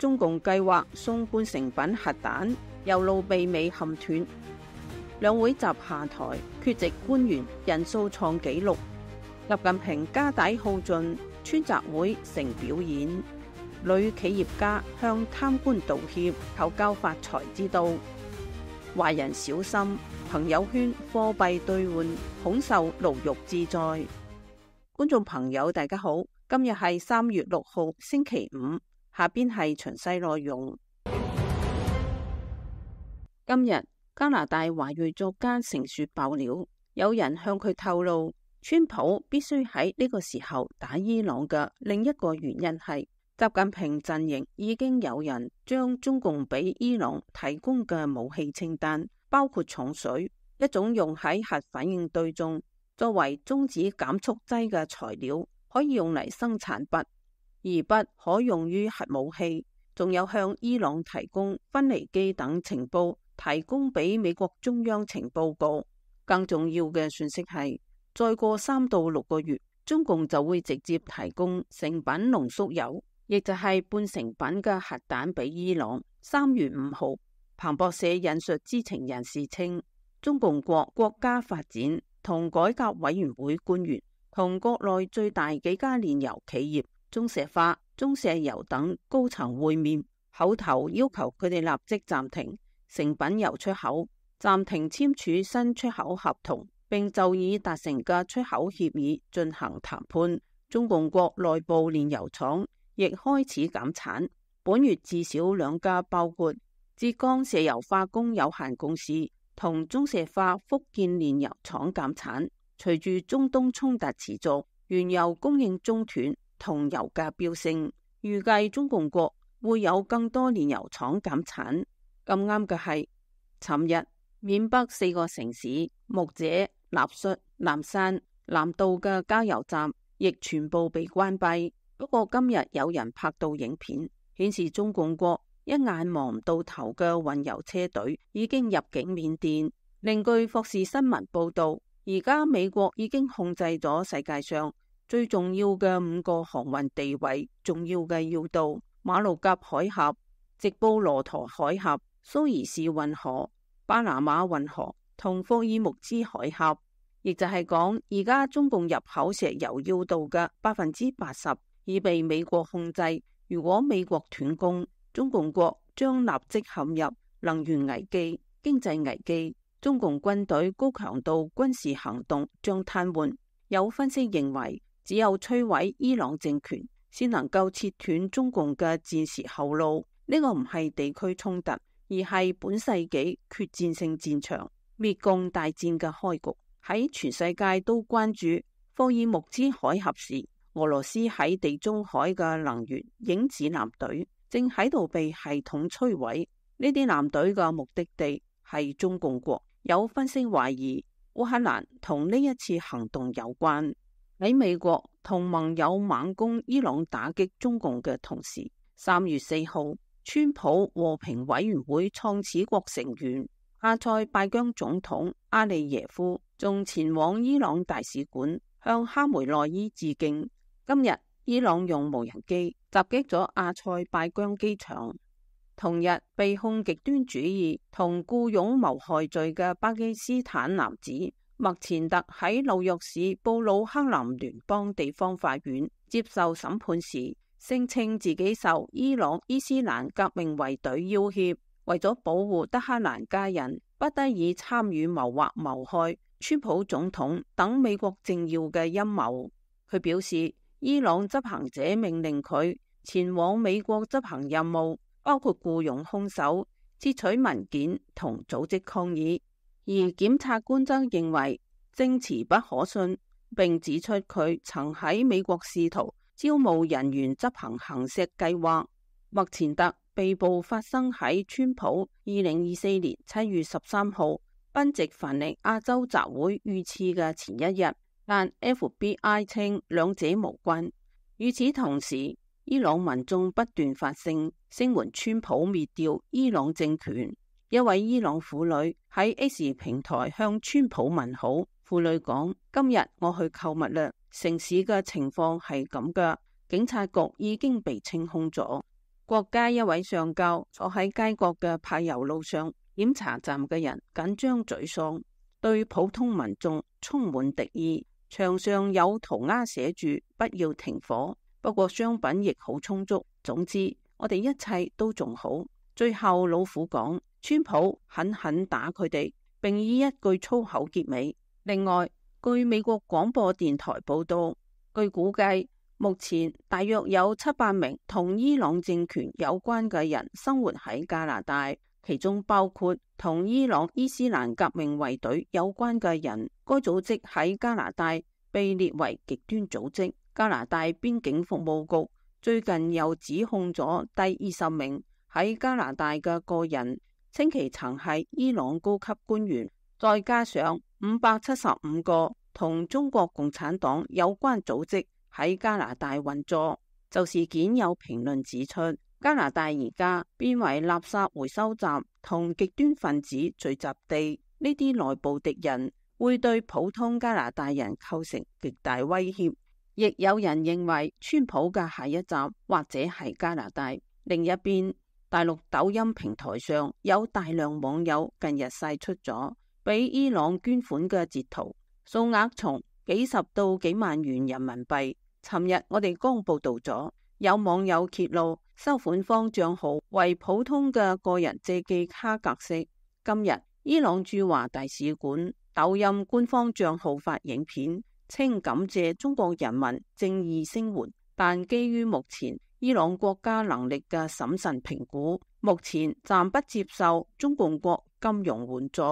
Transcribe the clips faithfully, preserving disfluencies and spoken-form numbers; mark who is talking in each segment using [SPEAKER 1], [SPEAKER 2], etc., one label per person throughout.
[SPEAKER 1] 中共計劃送半成品核彈，右路被美嵌斷。兩會集下台，缺席官員人數創紀錄。習近平家底耗盡，村集會成表演。女企業家向貪官道歉，求教發財之道。華人小心，朋友圈貨幣兌換恐受牢獄之災。觀眾朋友大家好，今日係三月六號星期五，下邊係詳細內容。今日加拿大華裔作家成雪爆料，有人向佢透露，川普必須喺呢個時候打伊朗嘅另一個原因係習近平陣營已經有人將中共俾伊朗提供嘅武器清單，包括重水，一種用喺核反應堆中作為中子減速劑嘅材料，可以用嚟生產鈈，而鈈可用於核武器，仲有向伊朗提供分離機等情報，提供俾美國中央情報局。更重要嘅信息係，再過三到六個月，中共就會直接提供成品濃縮鈾，亦就係半成品嘅核彈俾伊朗。三月五號，彭博社引述知情人士稱，中共國國家發展同改革委員會官員同國內最大幾家煉油企業中石化、中石油等高層會面，口頭要求佢哋立即暫停成品油出口，暫停簽署新出口合同，並就已達成嘅出口協議進行談判。中共國內部煉油廠亦開始減產，本月至少兩家，包括浙江石油化工有限公司同中石化福建煉油廠減產。隨住中東衝突持續，原油供應中斷同油價飆升，預計中共國會有更多煉油廠減產。咁啱嘅係，尋日緬北四個城市木姐、納率、南山、南道嘅加油站亦全部被關閉。不過今日有人拍到影片，顯示中共國一眼望唔到頭嘅運油車隊已經入境緬甸。另據霍士新聞報道，而家美國已經控制咗世界上最重要嘅五個航運地位重要嘅要道：馬六甲海峽、直布羅陀海峽、蘇伊士運河、巴拿馬運河同霍爾木茲海峽。亦就係講，而家中共入口石油要道嘅百分之八十已被美國控制。如果美國斷供，中共國將立即陷入能源危機、經濟危機。中共軍隊高強度軍事行動將癱瘓。有分析認為，只有摧毀伊朗政權，先能夠切斷中共嘅戰時後路。呢個唔係地區衝突，而係本世紀決戰性戰場、滅共大戰嘅開局。喺全世界都關注霍爾木茲海峽時，俄羅斯喺地中海嘅能源影子艦隊正喺度被系統摧毀。呢啲艦隊嘅目的地係中共國。有分析懷疑烏克蘭同呢一次行動有關。喺美國同盟友猛攻伊朗打擊中共嘅同時，三月四號，川普和平委員會創始國成員阿塞拜疆總統阿利耶夫仲前往伊朗大使館向哈梅內伊致敬。今日伊朗用無人機襲擊咗阿塞拜疆機場。同日被控極端主義同僱傭謀害罪嘅巴基斯坦男子麥前特喺紐約市布魯克林聯邦地方法院接受審判時，聲稱自己受伊朗伊斯蘭革命衛隊要挾，為咗保護德黑蘭家人，不得已參與謀劃謀害川普總統等美國政要嘅陰謀。佢表示，伊朗執行者命令佢前往美國執行任務，包括僱傭兇手、竊取文件同組織抗議。而檢察官則認為證詞不可信，並指出佢曾喺美國試圖招募人員執行行刺計劃。麥前特被捕發生喺川普二零二四年七月十三號賓夕凡尼亞州集會遇刺嘅前一日，但 F B I 稱兩者無關。與此同時，伊朗民眾不斷發聲，聲援川普滅掉伊朗政權。一位伊朗婦女喺 X 平台向川普問好。婦女講：今日我去購物啦，城市嘅情況係咁噶，警察局已經被清空咗。國家一位上校坐喺街角嘅柏油路上，檢查站嘅人緊張沮喪，對普通民眾充滿敵意。牆上有塗鴉寫住不要停火，不過商品亦好充足。總之，我哋一切都仲好。最後老虎講，川普狠狠打佢哋，並以一句粗口結尾。另外，據美國廣播電台報道，據估計目前大約有七百名同伊朗政權有關嘅人生活喺加拿大，其中包括同伊朗伊斯蘭革命衛隊有關嘅人。該組織喺加拿大被列為極端組織。加拿大邊境服務局最近又指控咗第二十名喺加拿大嘅個人，稱其曾係伊朗高級官員，再加上五百七十五個同中國共產黨有關組織喺加拿大運作。就事件有評論指出，加拿大而家變為垃圾回收站同極端分子聚集地，呢啲內部敵人會對普通加拿大人構成極大威脅。亦有人認為川普嘅下一站或者係加拿大。另一邊，大陸抖音平台上有大量網友近日晒出咗俾伊朗捐款嘅截圖，數額從幾十到幾萬元人民幣。尋日我哋剛報道咗，有網友揭露收款方賬號為普通嘅個人借記卡格式。今日伊朗駐華大使館抖音官方賬號發影片，稱感謝中國人民正義聲援，但基於目前伊朗國家能力嘅審慎評估，目前暫不接受中共國金融援助。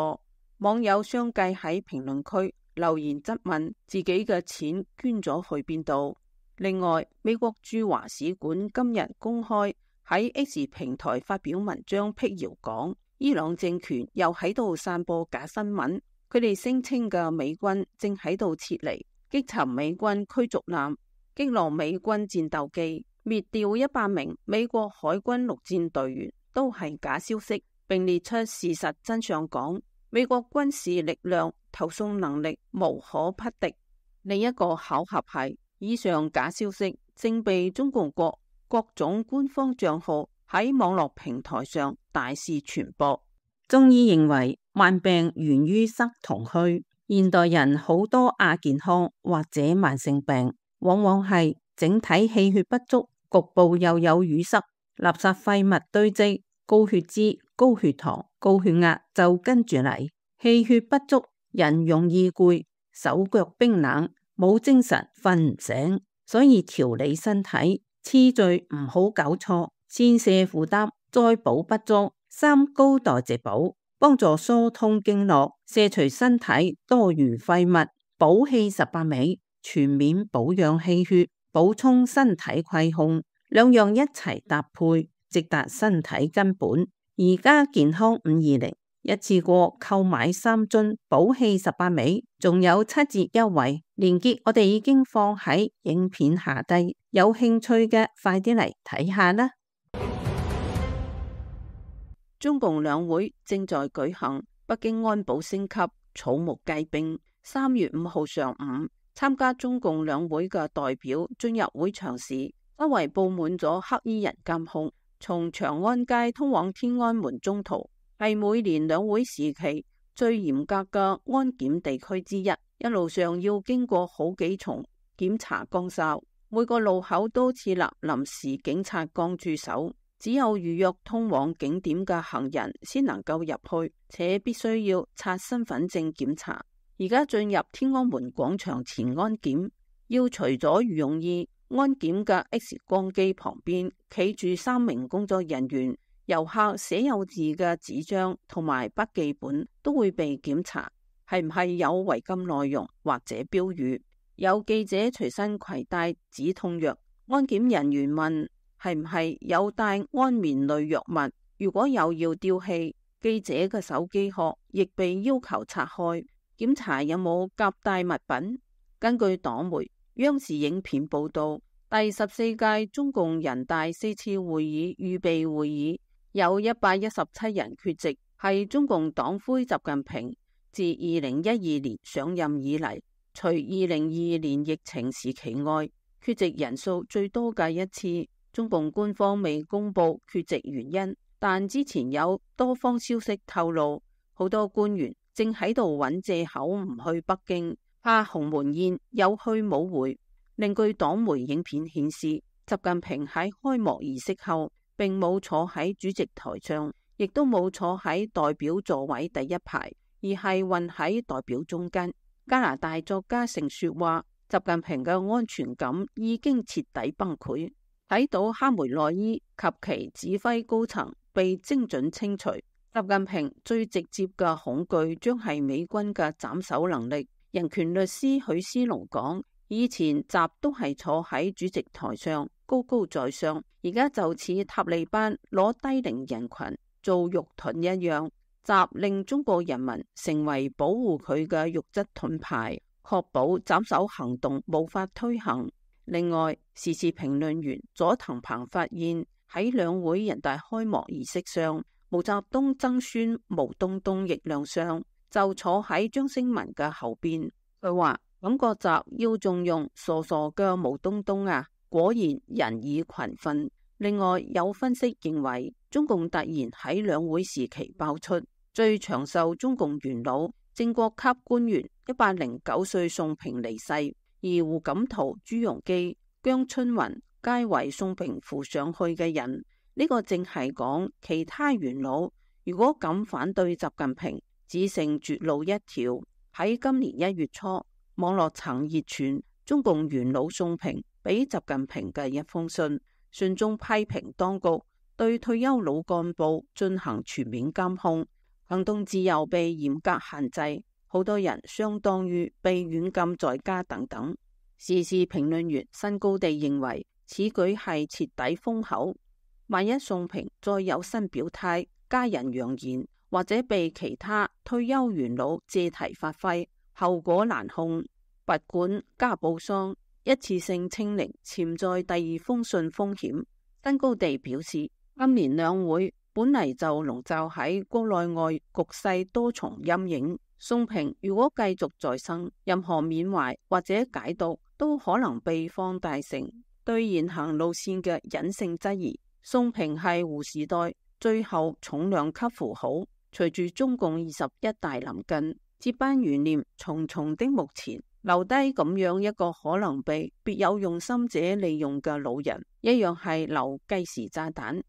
[SPEAKER 1] 網友相繼喺評論區留言質問自己嘅錢捐咗去邊度。另外，美國駐華使館今日公開喺 X 平台發表文章辟謠，講伊朗政權又喺度散播假新聞。佢哋聲稱嘅美軍正喺度撤離，擊沉美軍驅逐艦，擊落美軍戰鬥機，滅掉一百名美國海軍陸戰隊員，都係假消息，並列出事實真相，講美國軍事力量投送能力無可匹敵。另一個巧合係，以上假消息正被中共國各種官方賬號喺網絡平台上大肆傳播。中醫認為，慢病源於塞同虛。現代人好多亞健康或者慢性病，往往係整體氣血不足，局部又有淤塞，垃圾廢物堆積，高血脂、高血糖、高血壓就跟住嚟。氣血不足，人容易攰，手腳冰冷，冇精神，瞓唔醒。所以調理身體次序唔好搞錯，先瀉負擔，再補不足，三高代謝補，幫助疏通經絡，卸除身體多餘廢物，補氣十八味，全面保養氣血，補充身體虧空，兩樣一齊搭配，直達身體根本。而家健康五二零一次過購買三樽補氣十八味，仲有七折優惠，鏈接我哋已經放喺影片下低，有興趣嘅快啲嚟睇下啦。中共兩會正在舉行，北京安保升級，草木皆兵。三月五號上午，參加中共兩會嘅代表進入會場時，周圍佈滿咗黑衣人監控。從長安街通往天安門中途，係每年兩會時期最嚴格嘅安檢地區之一，一路上要經過好幾重檢查崗哨，每個路口都設立臨時警察崗駐守。只有預約通往景點嘅行人先能夠入去，且必須要刷身份證檢查。而家進入天安門廣場前安檢，要除咗羽絨衣，安檢嘅 X 光機旁邊企住三名工作人員，遊客寫有字嘅紙張同埋筆記本都會被檢查，係唔係有違禁內容或者標語。有記者隨身攜帶止痛藥，安檢人員問係唔係有帶安眠類藥物，如果有要丟棄。記者嘅手機殼亦被要求拆開，檢查有冇夾帶物品。根據黨媒央視影片報道，第十四屆中共人大四次會議預備會議有一百一十七人缺席，係中共黨魁習近平自二零一二年上任以嚟，除二零二二年疫情時期外，缺席人數最多嘅一次。中共官方未公布缺席原因，但之前有多方消息透露，好多官員正喺度揾借口唔去北京，怕鴻門宴有去冇回。另據黨媒影片顯示，習近平喺開幕儀式後並冇坐喺主席台上，亦都冇坐喺代表座位第一排，而係混喺代表中間。加拿大作家盛雪話，習近平嘅安全感已經徹底崩潰，睇到哈梅內伊及其指揮高層被精準清除，習近平最直接嘅恐懼將係美軍嘅斬首能力。人權律師許思龍講，以前習都係坐喺主席台上高高在上，而家就似塔利班攞低齡人群做肉盾一樣，習令中國人民成為保護佢嘅肉質盾牌，確保斬首行動無法推行。另外，時事評論員佐藤鵬發現喺兩會人大開幕儀式上，毛澤東曾孫毛東東亦亮相，就坐喺張星文嘅後邊。佢話感覺習要重用傻傻嘅毛東東啊，果然人以群分。另外有分析認為，中共突然喺兩會時期爆出最長壽中共元老正國級官員一百零九歲宋平離世，而胡錦濤、朱鎔基、姜春雲皆為宋平扶上去嘅人。呢、這個正係講其他元老如果敢反對習近平，只剩絕路一條。喺今年一月初，網絡曾熱傳中共元老宋平俾習近平嘅一封信，信中批評當局對退休老幹部進行全面監控，行動自由被嚴格限制，好多人相當於被軟禁在家等等。時事評論員新高地認為，此舉係徹底封口。萬一宋平再有新表態，加人揚言，或者被其他退休元老借題發揮，後果難控。拔管加布桑一次性清零潛在第二封信風險。新高地表示，今年兩會本嚟就籠罩喺國內外局勢多重陰影，宋平如果繼續再生，任何緬懷或者解讀都可能被放大成對現行路線嘅隱性質疑。宋平係胡時代最後重量級符號，隨住中共二十一大臨近，接班懸念重重的目前，留低咁樣一個可能被別有用心者利用嘅老人，一樣係留計時炸彈。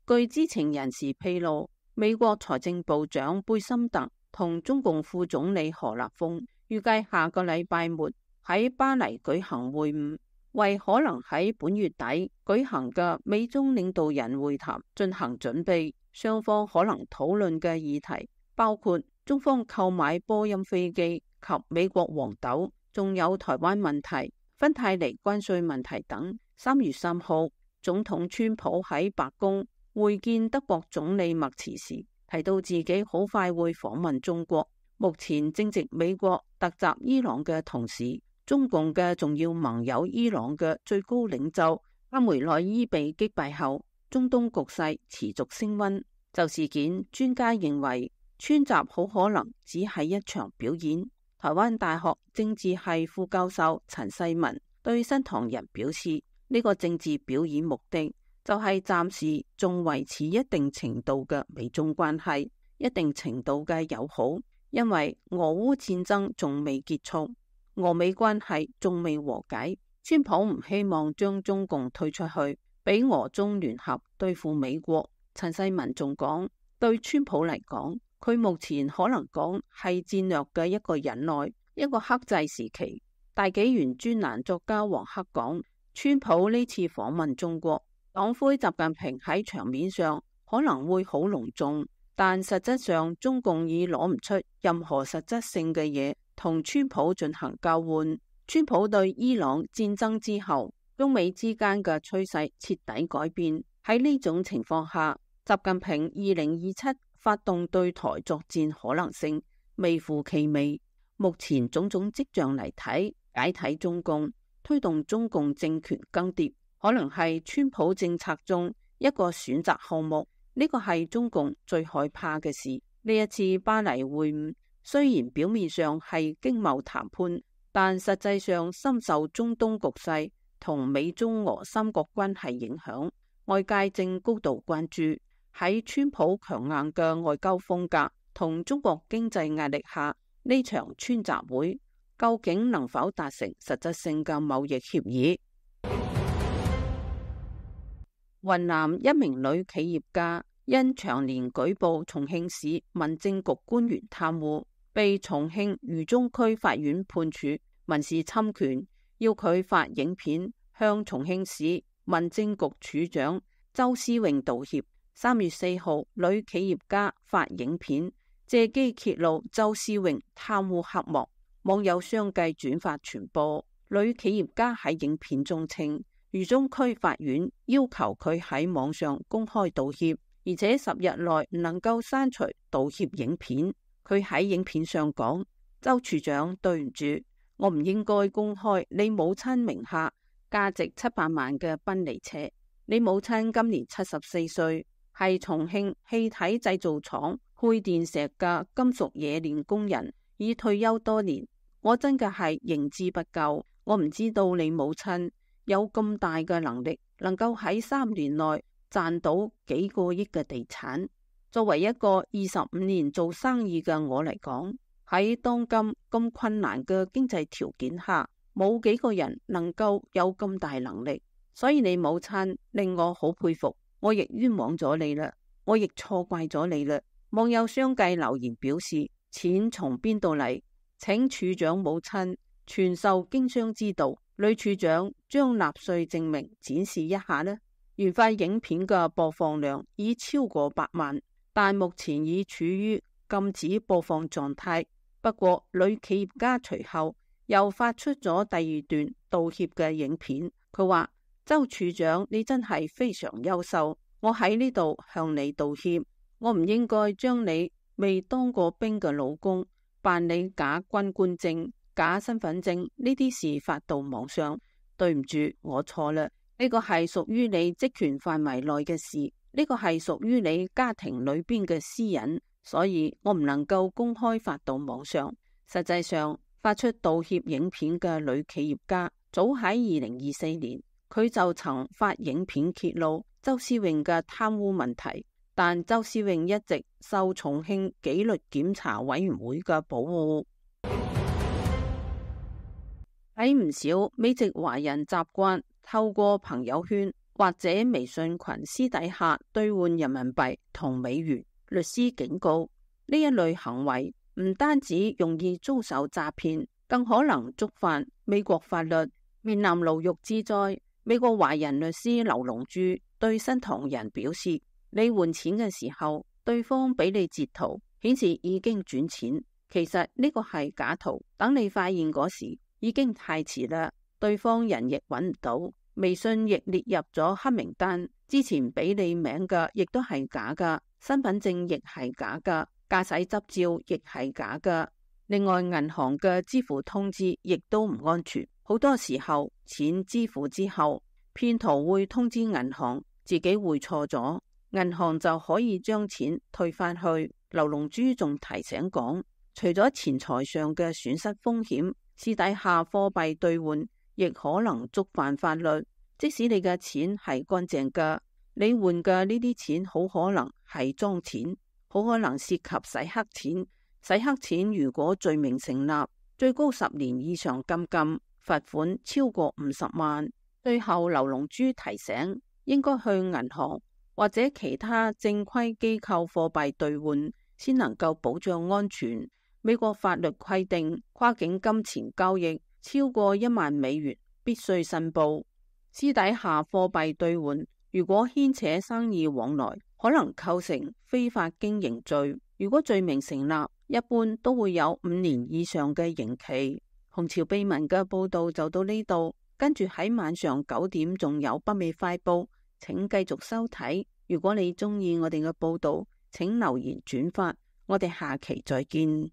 [SPEAKER 1] 據知情人士披露，美國財政部長貝森特同中共副總理何立峰預計下個禮拜末喺巴黎舉行會晤，為可能喺本月底舉行嘅美中領導人會談進行準備。雙方可能討論嘅議題包括中方購買波音飛機及美國黃豆，仲有台灣問題、芬太尼關稅問題等。三月三號，總統川普喺白宮會見德國總理默茨時，提到自己好快會訪問中國。目前正值美國突襲伊朗嘅同時，中共嘅重要盟友伊朗嘅最高領袖哈梅內伊被擊敗後，中東局勢持續升溫。就事件，專家認為川習好可能只係一場表演。台灣大學政治系副教授陳世文對新唐人表示，呢、這個政治表演目的就係暫時仲維持一定程度嘅美中關係，一定程度嘅友好，因為俄烏戰爭仲未結束，俄美關係仲未和解。川普唔希望將中共推出去，俾俄中聯合對付美國。陳世文仲講，對川普嚟講，佢目前可能講係戰略嘅一個忍耐，一個克制時期。大紀元專欄作家黃克講，川普呢次訪問中國，黨魁習近平喺場面上可能會好隆重，但實質上中共已攞唔出任何實質性嘅嘢同川普進行交換。川普對伊朗戰爭之後，中美之間嘅趨勢徹底改變。喺呢種情況下，習近平二零二七發動對台作戰可能性微乎其微。目前種種跡象嚟睇，解體中共、推動中共政權更迭，可能係川普政策中一個選擇項目。呢個係中共最害怕嘅事。呢一次巴黎會晤雖然表面上係經貿談判，但實際上深受中東局勢同美中俄三國關係影響，外界正高度關注喺川普強硬嘅外交風格同中國經濟壓力下，呢場川習會究竟能否達成實質性嘅貿易協議？雲南一名女企業家因長年舉報重慶市民政局官員貪污，被重慶渝中區法院判處民事侵權，要佢發影片向重慶市民政局處長周思榮道歉。三月四號，女企業家發影片借機揭露周思榮貪污黑幕，網友相繼轉發傳播。女企業家喺影片中稱，渝中區法院要求佢喺網上公開道歉，而且十日內唔能夠刪除道歉影片。佢喺影片上講：周處長，對唔住，我唔應該公開你母親名下價值七百萬嘅賓利車。你母親今年七十四歲，係重慶氣體製造廠配電石嘅金屬冶煉工人，已退休多年。我真嘅係認知不夠，我唔知道你母親有咁大嘅能力，能夠喺三年內賺到幾個億嘅地產。作為一個二十五年做生意嘅我嚟講，喺當今咁困難嘅經濟條件下，冇幾個人能夠有咁大能力。所以你母親令我好佩服，我亦冤枉咗你啦，我亦錯怪咗你啦。網友相繼留言表示，錢從邊度嚟？請處長母親傳授經商之道。女處長將納稅證明展示一下呢？原發影片嘅播放量已超過百萬，但目前已處於禁止播放狀態。不過女企業家隨後又發出咗第二段道歉嘅影片，佢話：周處長，你真係非常優秀，我喺呢度向你道歉，我唔應該將你未當過兵嘅老公辦理假軍官證、假身份證呢啲事發到網上，對唔住，我錯啦。呢個係屬於你職權範圍內嘅事，呢個係屬於你家庭裏邊嘅私隱，所以我唔能夠公開發到網上。實際上，發出道歉影片嘅女企業家，早喺二零二四年，佢就曾發影片揭露周思榮嘅貪污問題，但周思榮一直受重慶紀律檢查委員會嘅保護。喺唔少美籍華人習慣透過朋友圈或者微信群私底下兌換人民幣同美元。律師警告，呢一類行為唔單止容易遭受詐騙，更可能觸犯美國法律，面臨牢獄之災。美國華人律師劉龍珠對新唐人表示，你換錢嘅時候，對方俾你截圖顯示已經轉錢，其實呢個係假圖，等你發現嗰時已經太遲啦，對方人亦揾唔到，微信亦列入咗黑名單，之前俾你名嘅亦都係假噶，身份證亦係假噶，駕駛執照亦係假噶。另外，銀行嘅支付通知亦都唔安全，好多時候錢支付之後，騙徒會通知銀行自己匯錯咗，銀行就可以將錢退翻去。劉龍珠仲提醒講，除咗錢財上嘅損失風險，私底下貨幣兌換亦可能觸犯法律。即使你嘅錢係乾淨嘅，你換嘅呢啲錢好可能係贓錢，好可能涉及洗黑錢。洗黑錢如果罪名成立，最高十年以上監禁，罰款超過五十萬。最後，劉龍珠提醒，應該去銀行或者其他正規機構貨幣兌換，先能夠保障安全。美國法律規定，跨境金錢交易超過一萬美元必須申報。私底下貨幣兌換如果牽扯生意往來，可能構成非法經營罪。如果罪名成立，一般都會有五年以上嘅刑期。紅潮秘聞嘅報道就到呢度，跟住喺晚上九點仲有北美快報，請繼續收睇。如果你中意我哋嘅報道，請留言轉發，我哋下期再見。